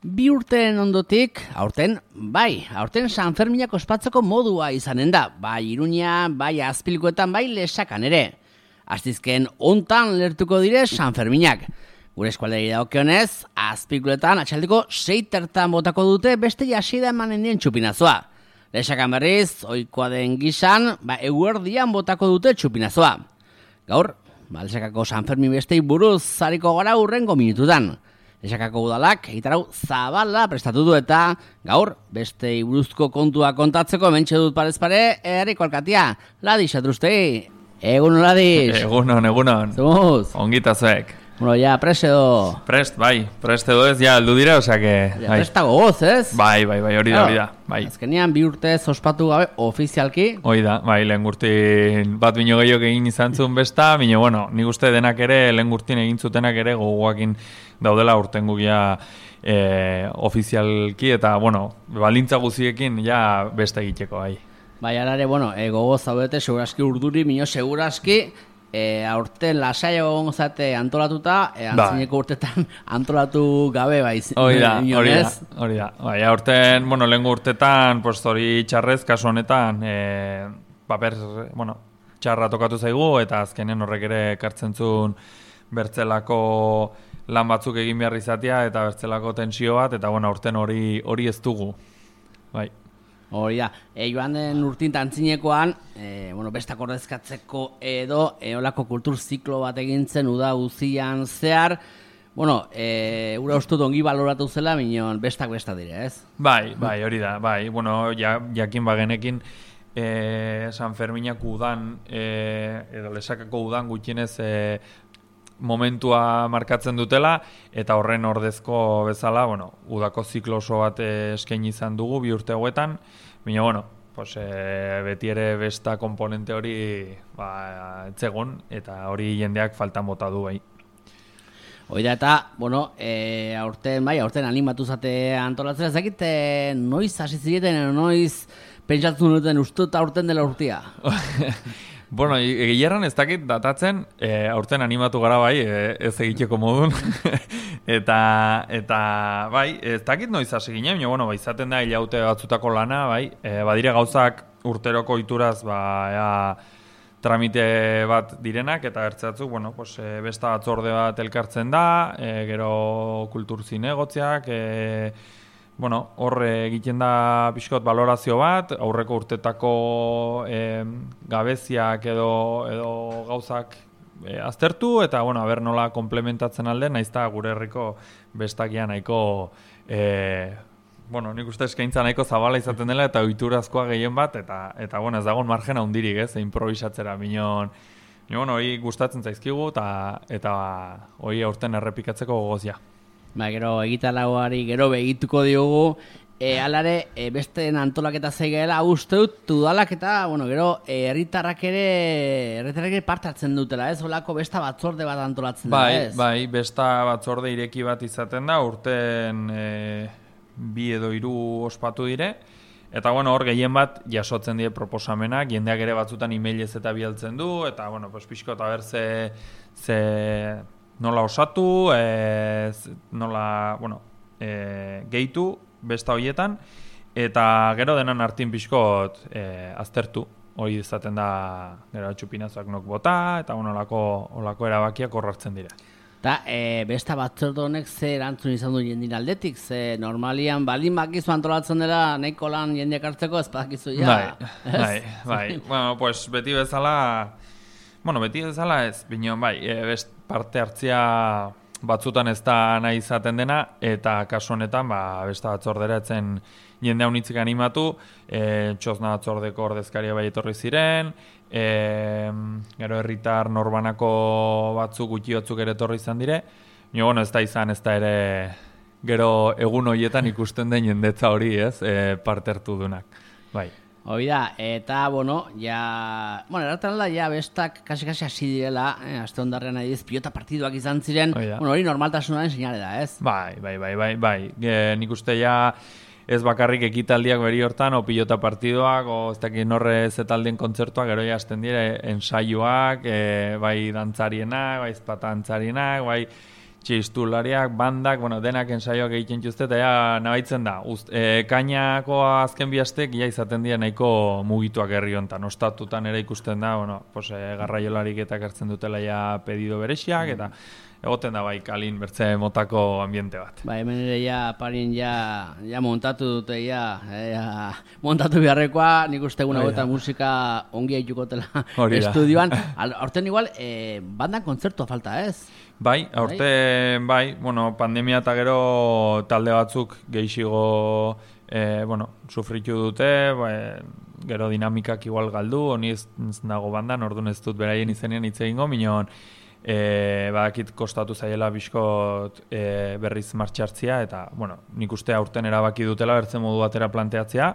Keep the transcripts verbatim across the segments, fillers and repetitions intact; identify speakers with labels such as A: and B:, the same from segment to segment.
A: Bi urteen ondotik, aurten, bai, aurten San Ferminak ospatzeko modua izanen da, bai Iruñean, bai Azpilkuetan, bai Lesakan ere. Astizken hontan lertuko dire San Ferminak. Gure eskualderi dagokionez, Azpilkuetan atxaldeko sei tertan botako dute beste jasida emanen dien txupinazoa. Lesakan berriz, ohikoa den gisan, ba, eguerdian botako dute txupinazoa. Gaur, ba, Lesakako San Fermin bestei buruz zariko gara hurrengo minututan. Lesakako udalak egitarau zabala prestatu du eta gaur beste buruzko kontua kontatzeko hementxe dut parez pare Herriko alkatia, Ladix Atrustegi. Egun Ladix.
B: Egunon, egunon.
A: Zumuz.
B: Ongita zuek.
A: Bueno, ya prest edo.
B: Prest, bai. Prest edo ez, ja, aldu dira, osea que...
A: Ja, prestago goz, ez?
B: Bai, bai, bai, hori da, hori da. Bai.
A: Azkenean bi urte ospatu gabe ofizialki.
B: Hori da, bai, lehen gurtin bat bino gehiok egin izan zuen besta, bino, bueno, nik uste denak ere, lehen gurtin egin zutenak ere, gogoakin daudela urten gugia e, ofizialki, eta, bueno, balintza guziekin ja besta egiteko, bai.
A: Bai, arare, bueno, e, gogo zaudete, seguraski urduri, mino seguraski, E, aurten lasaio gonzate antolatuta, e, antzineko urtetan antolatu gabe baiz.
B: Hori da, hori da, hori da. Bai, aurten, bueno, lehengo urtetan, pues, hori txarrez, kasu honetan, e, paper, bueno, txarra tokatu zaigu, eta azkenen horrek ere kartzen zuen bertzelako lan batzuk egin behar izatea, eta bertzelako tensio bat, eta, bueno, aurten hori hori ez dugu. Bai.
A: Hori da, e, joan den urtin tantzinekoan, e, bueno, bestak ordezkatzeko edo eolako kultur ziklo bat egintzen uda guzian zehar, bueno, e, ura ustut ongi baloratu zela, minon bestak bestak dire, ez?
B: Bai, bai, hori da, bai, bueno, ja, jakin bagenekin, e, San Ferminak udan, e, edo Lesakako udan gutxienez e, momentua markatzen dutela, eta horren ordezko bezala, bueno, udako ziklo oso bat eskaini izan dugu bi urte hauetan, baina, bueno, pues, e, beti ere besta komponente hori ba, etzegon, eta hori jendeak faltan bota du bai.
A: Hoi da, eta, bueno, e, aurten, bai, aurten animatu zate antolatzen, ez dakit, e, noiz hasi zireten, noiz pentsatzen duten ustut aurten dela urtia?
B: Bueno, egileran ez dakit datatzen, e, aurten animatu gara bai, e, ez egiteko modun, eta, eta bai, ez dakit noiz hasi ginen, bueno, bai, izaten da hilaute batzutako lana, bai, e, badire gauzak urteroko ituraz, ba, ea, tramite bat direnak, eta ertzatzuk, bueno, pues, e, besta batzorde bat elkartzen da, e, gero kultur zinegotziak, e, bueno, hor egiten da pixkot balorazio bat, aurreko urtetako e, gabeziak edo, edo gauzak e, aztertu, eta, bueno, aber nola komplementatzen alde, naizta gure herriko bestakia nahiko, e, bueno, nik uste eskaintza nahiko zabala izaten dela, eta ohiturazkoa gehien bat, eta, eta bueno, ez dagoen margen handirik, ez, improvisatzera, minon, bueno, hori gustatzen zaizkigu, eta, eta hori aurten errepikatzeko gogozia.
A: Ba, gero egitaragoari gero begituko diogu, e, alare e, beste antolaketa zeigela uste dut udalak eta, bueno, gero herritarrak ere herritarrak ere parte hartzen dutela, ez? Olako besta batzorde bat antolatzen
B: bai,
A: da, ez?
B: Bai, besta batzorde ireki bat izaten da, urten e, bi edo hiru ospatu dire, eta, bueno, hor gehien bat jasotzen die proposamenak, jendeak ere batzutan emailez eta bialtzen du, eta, bueno, pues pixko eta berze ze nola osatu, e, nola, bueno, e, gehitu besta horietan, eta gero denan hartin pixkot e, aztertu, hori izaten da gero txupinazoak nok bota, eta bueno, olako, olako erabakiak horrartzen dira.
A: Eta e, besta batzorde honek ze erantzun izan du jendin aldetik, ze normalian balin bakizu antolatzen dela nahiko lan jendeak hartzeko ez badakizu ja.
B: Bai, bai, bai. Bueno, pues beti bezala, bueno, beti bezala ez, bineon bai, e, best parte hartzia batzutan ez da nahi izaten dena, eta kasu honetan, ba, besta batzordera etzen jende haunitzik animatu, e, txosna batzordeko ordezkaria bai etorri ziren, e, gero herritar norbanako batzuk, gutxi batzuk ere etorri izan dire, nio, bueno, ez da izan, ez da ere gero egun horietan ikusten den jendetza hori, ez, e, parte hartu dunak, bai.
A: Hoi da, eta, bueno, ja... Bueno, erartan da, ja, bestak kasi-kasi hasi direla, eh, aste ondarrean adiz, pilota partiduak izan ziren, bueno, hori normaltasunaren sinale da, ez?
B: Bai, bai, bai, bai, bai. E, nik uste ja ez bakarrik ekitaldiak beri hortan, o pilota partiduak, o ez dakit norre zetaldien kontzertuak, gero ja hasten dire, ensaioak, e, bai dantzarienak, bai ezpata dantzarienak, bai txistulariak, bandak, bueno, denak ensaioak egiten dituzte, eta ja, nabaitzen da. Uzt, e, kainako azken bihaztek, ja izaten dira nahiko mugituak herri honetan. Ostatutan ere ikusten da, bueno, pues, e, garraiolarik eta ekartzen dutela ja pedido berexiak, eta egoten da bai kalin bertze motako ambiente bat.
A: Ba, hemen ere ja parin ja, ja montatu dute ja, ja montatu beharrekoa, nik uste egun hauetan musika ongi haitukotela estudioan. Horten igual, e, bandan kontzertua falta ez?
B: Bai, aurten bai, bueno, pandemia eta gero talde batzuk gehixigo e, bueno, sufritu dute, bai, gero dinamikak igual galdu, honi ez nago bandan, orduan ez dut beraien izenean hitz egingo, minon e, badakit kostatu zaiela bizkot e, berriz martxartzia, eta, bueno, nik uste aurten erabaki dutela bertzen modu batera planteatzea,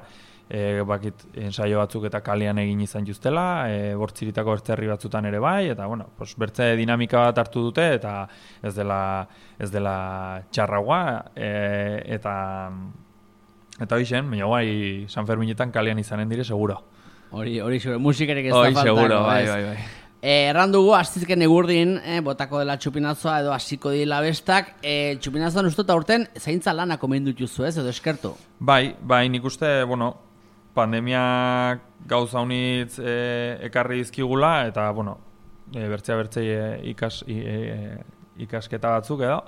B: e, bakit ensaio batzuk eta kalean egin izan justela, e, bortziritako bertzerri batzutan ere bai, eta, bueno, pues, bertze dinamika bat hartu dute, eta ez dela, ez dela txarragoa, e, eta eta hoixen, baina guai San Ferminetan kalean izanen dire, seguro.
A: Hori, hori, musikerek ez da faltako.
B: Hori, seguro, bai, bai, bai.
A: Eh, erran dugu, astizken egurdin, eh, botako dela txupinazoa edo hasiko dila bestak, eh, txupinazoan uste eta urten zaintza lanak omen dutuzu ez, edo eskertu?
B: Bai, bai, nik uste, bueno, pandemiak gauza unitz e, ekarri dizkigula, eta, bueno, e, bertzea bertzei e, ikas, e, ikasketa batzuk edo,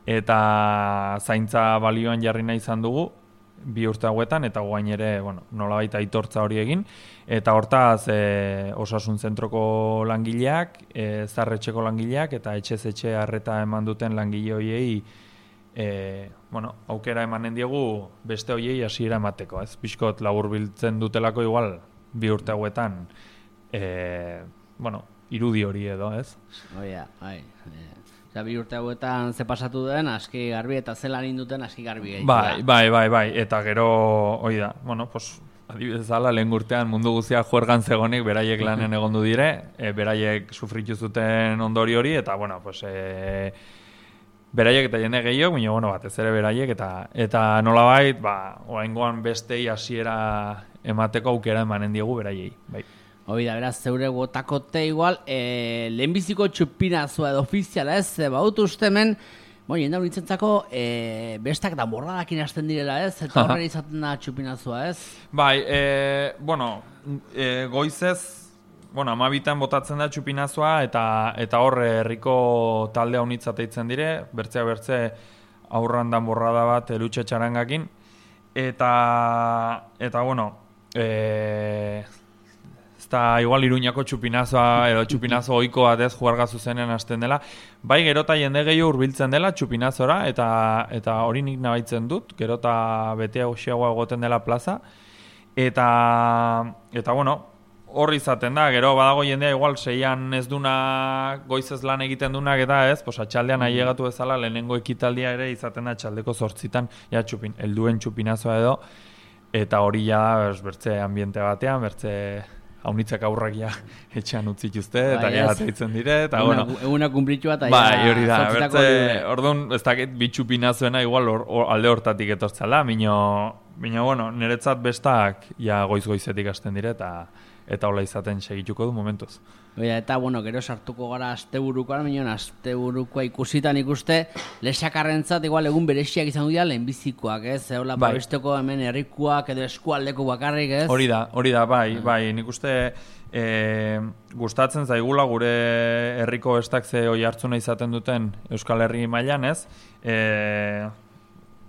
B: eta zaintza balioan jarri nahi izan dugu, bi urte hauetan, eta guain ere, bueno, nolabait aitortza hori egin, eta hortaz e, osasun zentroko langileak, e, zarretxeko langileak, eta etxez etxe harreta eman duten langile horiei, e, bueno, aukera emanen diegu beste horiei hasiera emateko, ez? Pixkot laburbiltzen dutelako igual, bi urte hauetan, e, bueno, irudi hori edo, ez?
A: Oia, bai, Osa, bi urte hauetan ze pasatu den, aski garbi eta zelan induten aski garbi gehiago.
B: Bai, bai, bai, bai, eta gero, hoi da, bueno, pues, adibidez ala, lehen urtean mundu guztia juergan zegonik, beraiek lanen egondu dire, e, beraiek sufritu zuten ondori hori, eta, bueno, pues, e, beraiek eta jende gehiago, baina, bueno, batez ere beraiek, eta eta nolabait, ba, oraingoan bestei hasiera emateko aukera emanen diegu beraiei, bai.
A: Hoi da, beraz, zeure gotakote igual, e, lehenbiziko txupinazoa edo ofiziala ez, e, bautu uste hemen, bon, jende hori nintzako, e, bestak da borradakin hasten direla ez, eta horre izaten da txupinazoa ez?
B: Bai, e, bueno, e, goizez, bueno, amabitan botatzen da txupinazoa, eta eta hor herriko talde haunitzateitzen dire, bertzea bertze aurran dan borrada bat elutxe txarangakin, eta, eta bueno, e, eta igual Iruñako txupinazoa edo txupinazo ohiko batez juarga zuzenen hasten dela. Bai, gerota jende gehiago hurbiltzen dela txupinazora, eta eta hori nik nabaitzen dut, gerota betea uxiagoa egoten dela plaza. Eta, eta bueno, horri izaten da, gero badago jendea igual seian ez duna goizez lan egiten dunak eta ez, pues atxaldean ailegatu bezala lehenengo ekitaldia ere izaten da atxaldeko zortzitan, ja txupin, helduen txupinazoa edo, eta hori ja bertze ambiente batean, bertze haunitzak aurrak ja etxean utzituzte, eta
A: bai,
B: ja ateitzen dire, eta
A: eguna,
B: bueno.
A: Eguna kumplitua eta
B: bai,
A: ja
B: hori da, bertze, orduan, ez dakit bitxupinazuena igual or, or, alde hortatik etortzala, mino, mino, bueno, niretzat bestak ja goiz-goizetik hasten dire, eta eta hola izaten segituko du momentuz.
A: Oia, eta, bueno, gero sartuko gara asteburukoan, minon, asteburukoa ikusitan ikuste, lesakarrentzat igual egun berexiak izango dira lehenbizikoak, ez? Eola, bai. Babesteko hemen herrikuak edo eskualdeko bakarrik, ez?
B: Hori da, hori da, bai, bai, nik uste e, gustatzen zaigula gure herriko bestak ze hoi hartzuna izaten duten Euskal Herri mailan, ez? E,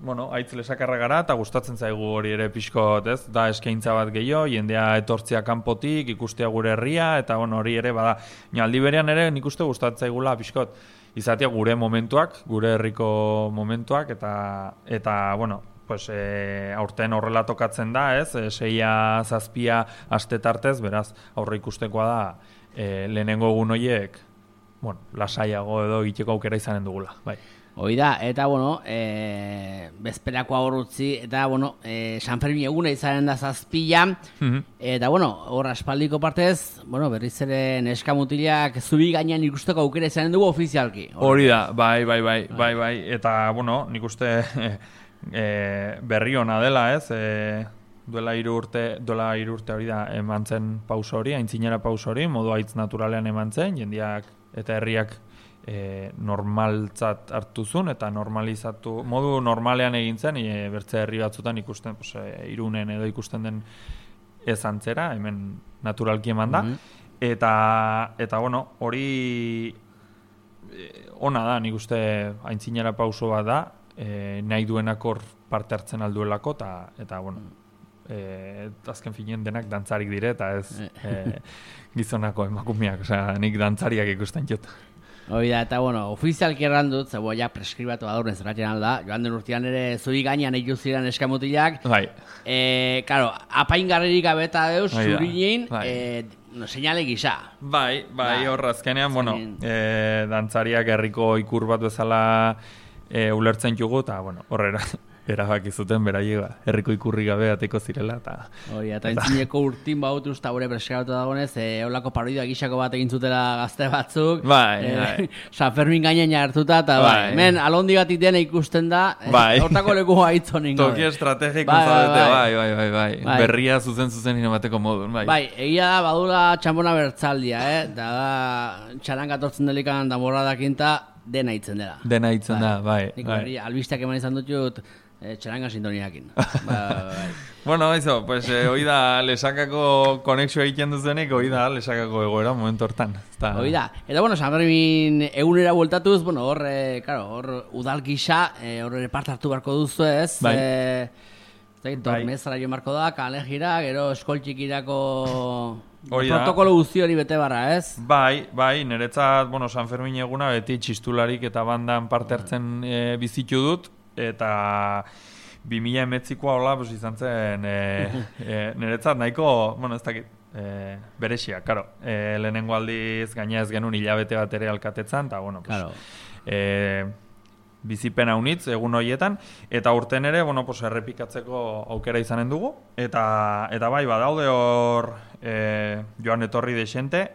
B: bueno, aitz lesakarra gara, eta gustatzen zaigu hori ere pixkot, ez? Da eskaintza bat gehiago, jendea etortzea kanpotik, ikustea gure herria, eta bueno, hori ere, bada, aldi berean ere nik uste gustatzen zaigula pixkot, izatea gure momentuak, gure herriko momentuak, eta, eta bueno, pues, e, aurten horrela tokatzen da, ez? E, seia, zazpia, aste tartez, beraz, aurre ikustekoa da, e, lehenengo egun horiek, bueno, lasaiago edo egiteko aukera izanen dugula, bai.
A: Hoi da, eta, bueno, e, bezperakoa horrutzi, eta, bueno, e, San Fermin eguna izanen da zazpila, mm-hmm. Eta, bueno, hor aspaldiko partez, bueno, berriz ere neska mutilak zubi gainean ikusteko aukera izanen dugu ofizialki.
B: Hori da, bai, bai, bai, bai, bai, eta, bueno, nik uste e, berri ona dela, ez, e, duela hiru urte, duela hiru urte hori da, eman zen pauso hori, aintzinera pauso hori, modu aitz naturalean eman zen, jendiak eta herriak e, normaltzat hartuzun eta normalizatu, modu normalean egin zen, e, bertze herri batzutan ikusten, pues, e, Irunen edo ikusten den ez antzera, hemen naturalki eman da, mm-hmm. eta, eta bueno, hori e, ona da, nik uste aintzinera pauso bat da, e, nahi duenak hor parte hartzen alduelako, eta, eta bueno, e, azken finen denak dantzarik dire, eta ez e, gizonako emakumeak, osea, nik dantzariak ikusten jut.
A: Hoi da, eta bueno, ofizialki erran dut, zebo ja preskribatu badurren zerratzen alda, joan den urtean ere zuri gainean eitu ziren eskamutilak,
B: bai.
A: E, karo, apaingarririk abeta deuz, zurinin, bai. E, no, seinale gisa.
B: Bai, bai, hor azkenean, bueno, e, dantzariak herriko ikur bat bezala e, ulertzen jugu, eta, bueno, horrera, erabaki zuten beraiek herriko ikurri gabe ateko zirela, eta...
A: Hoi, eta entzineko urtin bautuz, eta gure preskribatu dagoenez, e, holako parodia gisako bat egin zutela gazte batzuk,
B: bai,
A: e,
B: bai.
A: San Fermin gainen hartuta, eta bai, bai. Men, alondi batik dena ikusten da,
B: bai.
A: Hortako leku haitzo ningo.
B: Toki estrategiko bai, zaudete, bai, bai, bai, bai, bai. Berria zuzen zuzen inomateko modun, bai.
A: Bai, egia da, badula txampona bertzaldia, eh? Da, da, txaran gatortzen delikan damorradakinta, dena hitzen dela.
B: Dena hitzen da, bai.
A: Nik
B: bai.
A: Berri, albisteak eman izan dut, Eh, txaranga sintoniakin. ba, bai.
B: Bueno, eso, pues eh, hoi da lesakako konexioa egiten duzenik, hoi da lesakako egoera momentu hortan. Esta...
A: Hoi da. Eta bueno, San Fermin egunera bueltatuz, bueno, hor, eh, claro, hor udal gisa, eh, hor ere parte hartu barko duzu ez.
B: Bai.
A: Eh, Dormezara jo marko da, kale gira, gero eskoltxikirako
B: Hori
A: protokolo guzti hori bete barra, ez?
B: Bai, bai, niretzat, bueno, San Fermin eguna beti txistularik eta bandan parte hartzen e, bizitu dut, eta bi mila emetzikoa hola, pues, izan zen e, e, niretzat nahiko, bueno, ez dakit, e, berexia, karo, e, lehenengo aldiz gaina ez genuen hilabete bat ere alkatetzan, eta, bueno, pues,
A: claro.
B: e, bizipen haunitz egun horietan, eta urten ere, bueno, pues, errepikatzeko aukera izanen dugu, eta, eta bai, badaude hor e, joan etorri desente,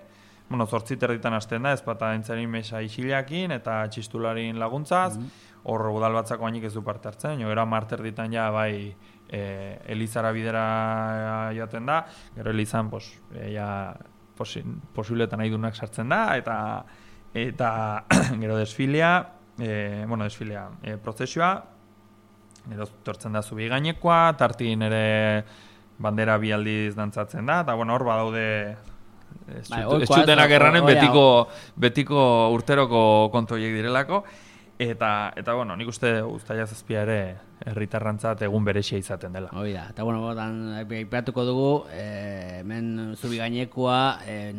B: bueno, zortzit erditan hasten da, ezpata entzarin mesa isilakin, eta txistularin laguntzaz, mm-hmm. Hor udal batzako hainik ez du parte hartzen, jo, era marter ditan ja, bai, e, Elizara bidera joaten da, gero Elizan, pues, e, ja, posi, posibletan nahi dunak sartzen da, eta, eta gero desfilea, e, bueno, desfilea, e, prozesioa, gero tortzen da zubi gainekoa, tartin ere bandera bi aldiz dantzatzen da, eta, bueno, hor badaude... Ez txutenak erranen betiko, betiko urteroko kontoiek direlako, Eta, eta bueno, nik uste uztaila zazpia ere herritarrantzat egun berexia izaten dela.
A: Hoi da, eta bueno, botan, aipatuko dugu, e, hemen zubi gainekoa, e,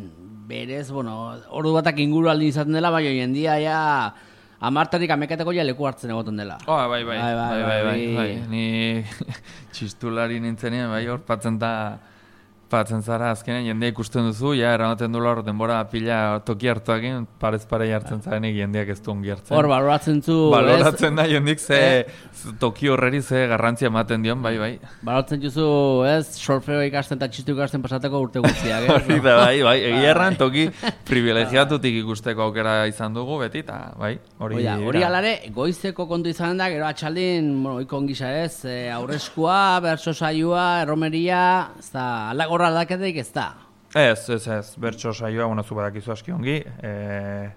A: berez, bueno, ordu batak inguru aldi izaten dela, bai hoien dia, ja, amartarik amekateko ja leku hartzen egoten dela.
B: Oh, bai, bai, bai, bai, bai, bai, bai. Ni txistulari nintzenean, bai, hor patzen da, patzen zara azkenean jendea ikusten duzu, ja, eramaten dula hor denbora pila toki hartuakin, parez pare jartzen zarenik jendeak ez du ongi hartzen.
A: Hor, baloratzen zu...
B: Baloratzen da jendik ze eh? toki horreri ze garrantzia ematen dion, bai, bai.
A: Baloratzen juzu, ez, solfeo ikasten eta txistu ikasten pasateko urte guztiak, ez?
B: Hori da, bai, bai, egia erran toki privilegiatutik ikusteko aukera izan dugu, beti, eta, bai, hori...
A: Hori alare, goizeko kontu izan da, gero atxaldin, bueno, ikon gisa ez, aurreskua, bertso saioa, erromeria, ez da, aldago horra aldaketeik ez da?
B: Ez, ez, ez, bertso saioa, bueno, zu badakizu aski ongi, e,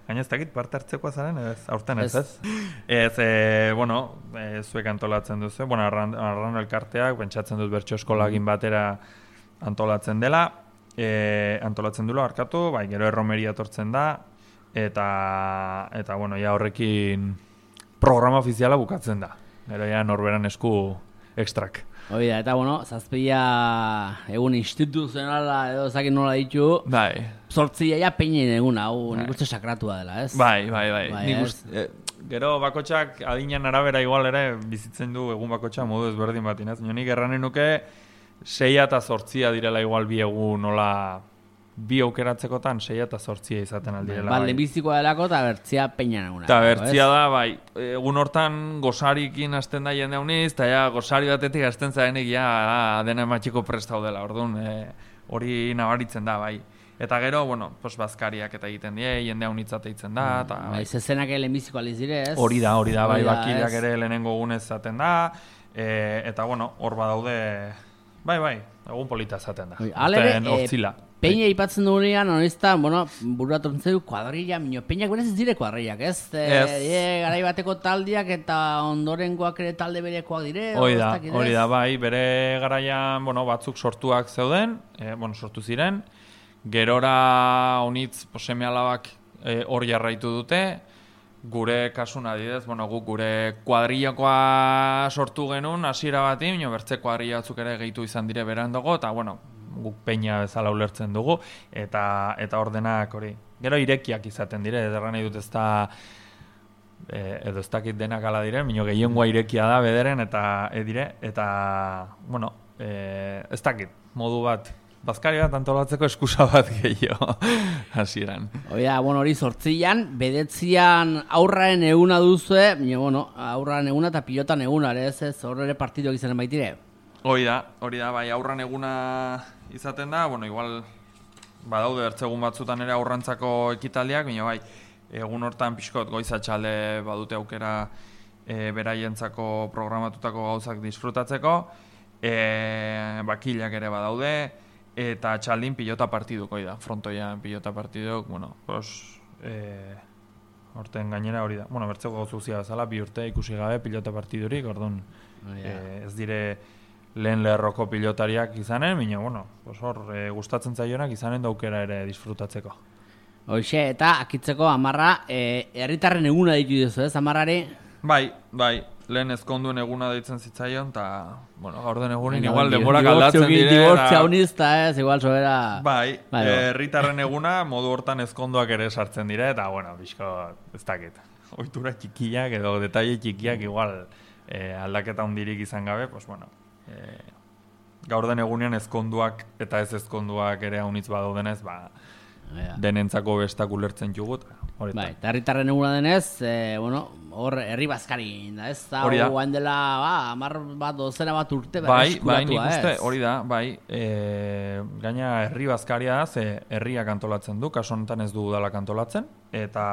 B: gaina ez dakit parte hartzekoa zaren, ez, aurten ez, ez? Ez, e, bueno, e, zuek antolatzen duzu, bueno, arran, arran elkarteak, pentsatzen dut bertso eskolagin batera antolatzen dela, e, antolatzen dula, arkatu, bai, gero erromeria tortzen da, eta, eta, bueno, ja horrekin programa ofiziala bukatzen da, gero ja norberan esku ekstrak.
A: Hoi da, eta bueno, zazpia egun instituzionala edo zakin nola ditu.
B: Bai.
A: Zortzia ja peinen egun, hau nik uste sakratua dela, ez?
B: Bai, bai, bai.
A: bai
B: nik uste, eh, gero bakotxak adinan arabera igual ere bizitzen du egun bakotxa modu ezberdin batin, ez? Nik erranen nuke seia eta zortzia direla igual bi egun nola... bi aukeratzekotan seia eta zortzia izaten aldirela.
A: Ba, lehenbizikoa delako eta bertzia peina naguna.
B: Eta bertzia da, bai, egun hortan gozarikin hasten da jende hauniz, eta ja, gozari batetik hasten zarenik, ja, dena ematxiko prestau dela, orduan, hori e, nabaritzen da, bai. Eta gero, bueno, pues bazkariak eta egiten die, jende haunitzat egiten da, eta...
A: Bai, zezenak lehenbiziko aliz dire, ez?
B: Hori da, hori da, bai, bakideak ere lehenengo egunez zaten da, e, eta, bueno, hor badaude... bai, bai, egun polita zaten da.
A: Alere,
B: hortzila.
A: e, peina ipatzen dugunean, honezta, bueno, bururatzen zeu, kuadrilla, minio, peinak berez ez dire kuadrillak, ez?
B: Ez.
A: E, e, garai bateko taldiak eta ondorengoak ere talde berekoak dire.
B: Hori da, hori da, bai, bere garaian, bueno, batzuk sortuak zeuden, e, bueno, sortu ziren, gerora honitz, seme alabak hor e, jarraitu dute, gure kasun adidez, bueno, guk gure kuadrillakoa sortu genuen, hasiera bati, baina bertze kuadrilla batzuk ere gehitu izan dire beran dago, eta, bueno, guk peina bezala ulertzen dugu, eta eta ordenak hori. Gero irekiak izaten dire, edo nahi dut ez da, e, edo ez dakit denak ala dire, baina gehiengoa irekia da bederen, eta edire, eta, bueno, e, ez dakit, modu bat, bazkari bat antolatzeko eskusa bat gehiago hasieran.
A: Oia, bueno, hori zortzian, bedetzian aurraren eguna duzue, baina, bueno, aurraren eguna eta pilotan eguna, ere ez ez, hor ere partiduak izanen baitire.
B: Hori da, hori da, bai, aurran eguna izaten da, bueno, igual, badaude bertzegun batzutan ere aurrantzako ekitaldiak, baina bai, egun hortan pixkot goizatxalde badute aukera e, beraientzako programatutako gauzak disfrutatzeko, e, bakilak ere badaude, eta txaldin pilota partiduko da, frontoian pilota partiduk, bueno, pues, e, horten gainera hori da. Bueno, bertzeko gauzuzia bezala, bi urte ikusi gabe pilota partidurik, orduan, oh, yeah. e, ez dire lehen lerroko pilotariak izanen, baina, bueno, pues hor, e, gustatzen zaionak izanen daukera ere disfrutatzeko.
A: Hoxe, eta akitzeko amarra, e, herritarren eguna ditu duzu, ez, amarrari?
B: Bai, bai, lehen ezkonduen eguna deitzen zitzaion, eta, bueno, gaur den egunin, igual denborak aldatzen dire.
A: Dibortzia unizta, ez, igual sobera...
B: Bai, herritarren eguna, modu hortan ezkonduak ere sartzen dire, eta, bueno, bizko, ez dakit, ohitura txikiak edo detaile txikiak, igual, e, aldaketa hundirik izan gabe, pues, bueno, e, gaur den egunean ezkonduak eta ez ezkonduak ere haunitz badaudenez, ba, ja. Denentzako bestak ulertzen jugut.
A: Bai, eta herritarren eguna denez, e, bueno, hor herri bazkari da, ez? Hori da. Hau dela, ba, amar bat, dozena bat urte,
B: bai, bai, nik uste, hori da, bai, e, gaina herri bazkaria da, ze herriak antolatzen du, kaso honetan ez du udalak antolatzen, eta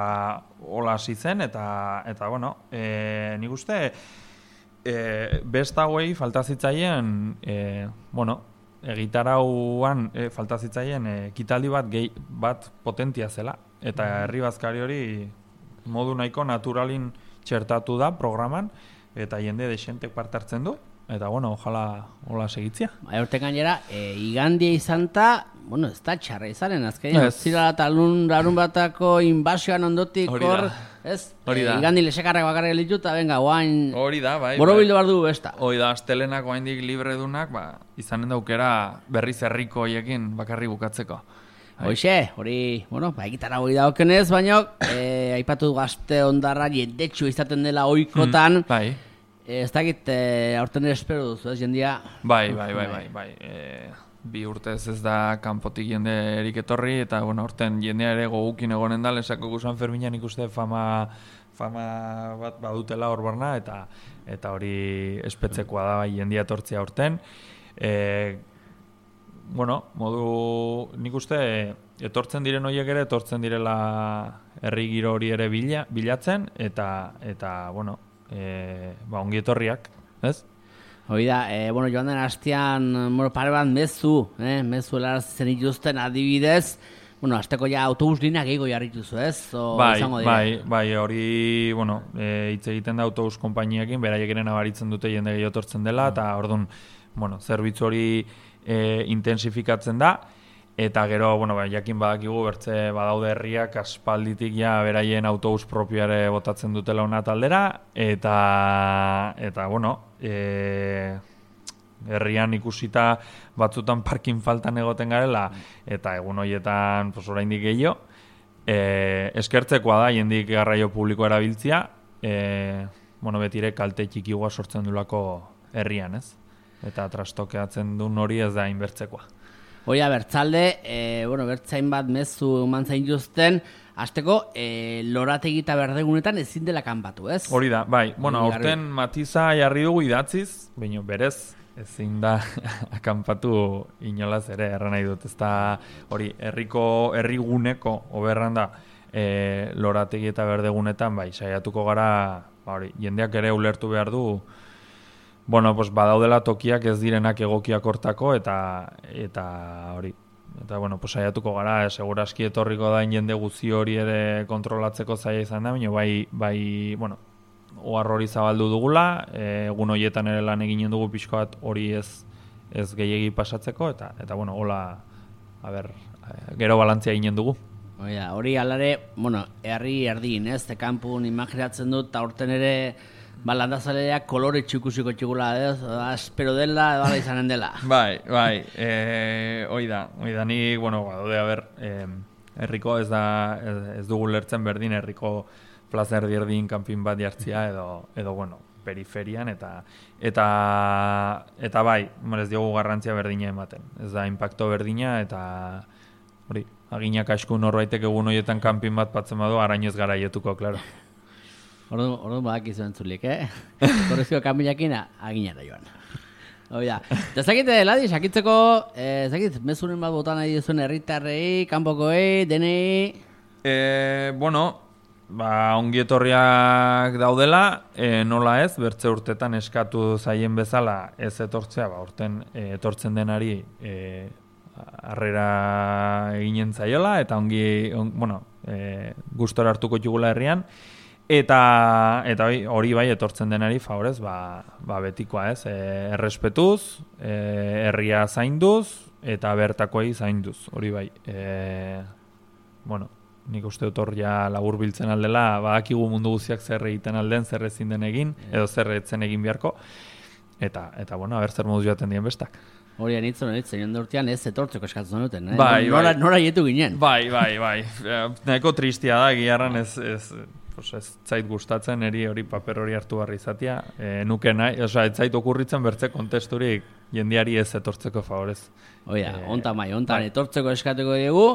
B: hola hasi zen, eta, eta bueno, e, nik uste, e, besta hauei falta zitzaien, e, bueno, egitarauan e, falta zitzaien ekitaldi bat gehi, bat potentia zela, eta herri bazkari hori modu nahiko naturalin txertatu da programan, eta jende desentek parte hartzen du, eta bueno, ojala hola segitzia.
A: Bai, horte gainera, e, igandia izan ta, bueno, ez da txarra izanen, azkenean, ez zira eta larun batako inbasioan ondotik hor, ez?
B: Hori da.
A: E, igandi lesekarrak bakarrik elitu, eta venga, guain...
B: Hori da, bai.
A: Boro bildu behar du besta.
B: Hori da, astelenak guaindik libre dunak, ba, izanen daukera berriz herriko hoiekin bakarri bukatzeko.
A: Hoxe, hori, bueno, ba, egitara hori daukenez, baina, e, aipatu gazte ondarra jendetxu izaten dela oikotan,
B: mm, bai.
A: E, ez dakit, e, aurten ere espero duzu, ez, jendia?
B: Bai, bai, bai, bai, bai. E, bi urtez ez da kanpotik jende erik etorri, eta, bueno, aurten jendea ere gogukin egonen da, lesako San Ferminan ikuste fama, fama bat badutela hor barna, eta, eta hori espetzekoa da, bai, jendia etortzia aurten. E, bueno, modu, nik uste, etortzen diren horiek ere, etortzen direla herri giro hori ere bila, bilatzen, eta, eta bueno, e, ba, ongi etorriak, ez?
A: Hoi da, e, bueno, joan den hastean, bueno, pare bat mezu, eh, mezu helarazten ituzten adibidez, bueno, hasteko ja autobus lineak gehiago jarrituzu, ez? O,
B: bai, bai, bai, hori, bueno, e, hitz egiten da autobus konpainiekin, beraiek ere nabaritzen dute jende gehiago etortzen dela, eta orduan, bueno, zerbitzu hori E, intensifikatzen da, eta gero, bueno, ba, jakin badakigu bertze badaude herriak aspalditik ja beraien autobus propioare botatzen dutela ona taldera, eta, eta bueno, e, herrian ikusita batzutan parkin faltan egoten garela, eta egun horietan pues, oraindik gehiago, e, eskertzekoa da jendik garraio publiko erabiltzia, e, bueno, betire kalte txikigoa sortzen dulako herrian, ez? Eta trastokeatzen duen hori ez da inbertzekoa.
A: Hoia, bertzalde, e, bueno, bertzain bat mezu mantzain juzten, azteko, e, lorategita berdegunetan ezin dela kanpatu, ez?
B: Hori da, bai. Bueno, aurten matiza jarri dugu idatziz, baina berez, ezin da akanpatu inolaz ere, erran nahi dut. Ez da, hori, herriko, herriguneko, oberran da, e, lorategi eta berdegunetan, bai, saiatuko gara, ba, hori, jendeak ere ulertu behar du, bueno, pues badaudela tokiak ez direnak egokiak hortako, eta eta hori. Eta, bueno, pues saiatuko gara, eh, seguraski etorriko da jende guzi hori ere kontrolatzeko zaila izan da, baina bai, bai, bueno, ohar hori zabaldu dugula, egun horietan ere lan eginen dugu pixko bat hori ez ez gehiegi pasatzeko, eta, eta bueno, hola, a ber, gero balantzia eginen dugu.
A: Oida, hori alare, bueno, herri erdin, ez, de kanpun imaginatzen dut, eta horten ere, ba, landazaleak kolore txukusiko txukula, ez, espero dela, edo ala izanen dela.
B: Bai, bai, e, hoi da, hoi da, nik, bueno, badaude, a ber, e, herriko ez da, ez, ez dugu lertzen berdin, herriko plaza erdi erdin kanpin bat jartzia, edo, edo, bueno, periferian, eta, eta, eta bai, ez diogu garrantzia berdina ematen, ez da, impacto berdina, eta, hori, aginak asku norbaitek egun horietan kanpin bat patzen badu, arainoz gara ietuko, klaro.
A: Ordu, ordu badak izuen zulik, eh? Korrezko kanpinakina, aginara joan. Oida, eta zakite, Ladi, sakitzeko, eh, zakit, mezuren bat botan nahi duzuen herritarrei, kanpokoei, denei...
B: E, bueno, ba, ongietorriak daudela, e, nola ez, bertze urtetan eskatu zaien bezala ez etortzea, ba, urten e, etortzen denari e, harrera eginen zaiola, eta ongi, on, bueno, e, gustora hartuko jugula herrian, eta eta hori bai etortzen denari favorez, ba, ba betikoa ez, e, errespetuz, e, herria zainduz, eta bertakoei zainduz, hori bai. E, bueno, nik uste dut hor ja labur biltzen aldela, badakigu mundu guztiak zer egiten alden, zer ezin den egin, edo zer etzen egin beharko, eta, eta bueno, aber zer moduz joaten dien bestak.
A: Hori anitzen, anitzen, joan urtean ez etortzeko eskatzen duten, eh?
B: Bai,
A: nora,
B: bai.
A: nora jetu ginen.
B: Bai, bai, bai. Nahiko tristia da, giarran ez, ez, pues ez zait gustatzen, eri hori paper hori hartu barri izatea. E, nuke nahi, oza, ez zait okurritzen bertze kontesturik jendiari ez etortzeko favorez.
A: Oia,
B: e,
A: onta mai, ontan
B: bai.
A: etortzeko eskatuko dugu.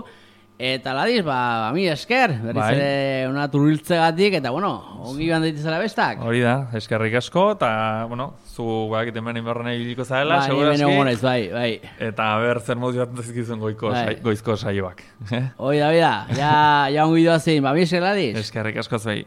A: Eta Ladiz, ba, mi esker, berriz
B: bai.
A: ere una turiltzegatik, eta bueno, ongi joan daitezela bestak.
B: Hori da, eskerrik asko, eta, bueno, zu bakit hemen inbarren ibiliko zaela,
A: ba,
B: segurazki.
A: Bai, bai, bai.
B: Eta ber zer modu joan dezkizun goiko,
A: bai.
B: sai, goizko saioak.
A: Hori da, hori da, ja, ja ongi doazin, ba, mi esker Ladiz.
B: Eskerrik asko zuei.